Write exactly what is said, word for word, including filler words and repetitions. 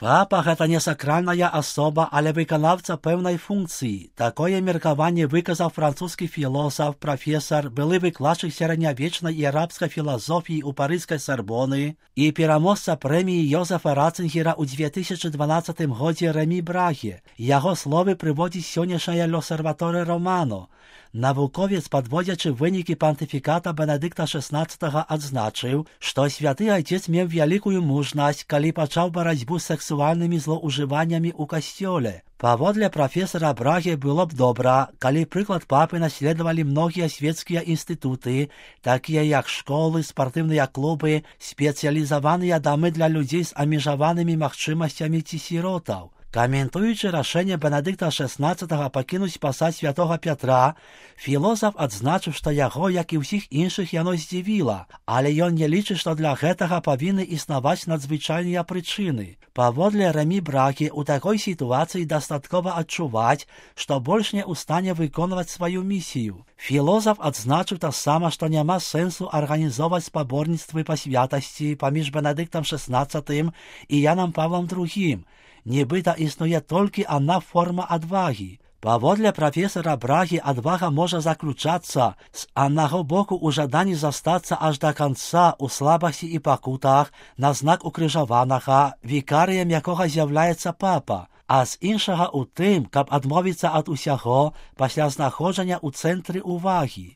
Папа – гэта не сакральная асоба, але выканаўца пэўнай функцыі. Такое меркаванне выказаў французскі філосаф, прафесар, былы выкладчык сярэднявечнай і арабскай філасофіі ў парыжскай Сарбоны і пераможца прэміі Йозефа Ратцингера ў дзве тысячы дванаццатым годзе Рэмі Браге. Яго словы прыводзіць сённяшняя L'Osservatore Romano. Навуковец, падводзячы вынікі пантыфіката Бенедыкта шаснаццатага, адзначыў, што святы айцец меў вялікую мужнасць, калі пачаў барацьбу з сексуальнымі злоўжываннямі ў касцёле. Паводле прафесара Браге было б добра, калі прыклад папы наследавалі многія свецкія інстытуты, такія як школы, спартыўныя клубы, спецыялізаваныя дамы для людзей з абмежаванымі магчымасцямі ці сіротаў. Каментуючы рашэнне Бенедыкта шаснаццатага пакінуць пасад святога Пятра, філосаф адзначыў, што яго, як і ўсіх іншых, яно здзівіла, але ён не лічыць, што для гэтага павінны існаваць надзвычайныя прычыны. Паводле Рэмі Брагі, у такой сітуацыі дастаткова адчуваць, што больш не ў стане выконваць сваю місію. Філосаф адзначыў таксама, што няма сэнсу арганізоўваць спаборніцтвы па святасці паміж Бенедыктам шаснаццатым і Янам Павлам другім. Нібыта існуе толькі адна форма адвагі. Паводле прафесара Брагі, адвага можа заключацца з аднаго боку ў жаданні застацца аж да канца ў слабасці і пакутах на знак укрыжаванага, вікарыем якога з'яўляецца папа, а з іншага ў тым, каб адмовіцца ад усяго пасля знаходжання ў цэнтры ўвагі.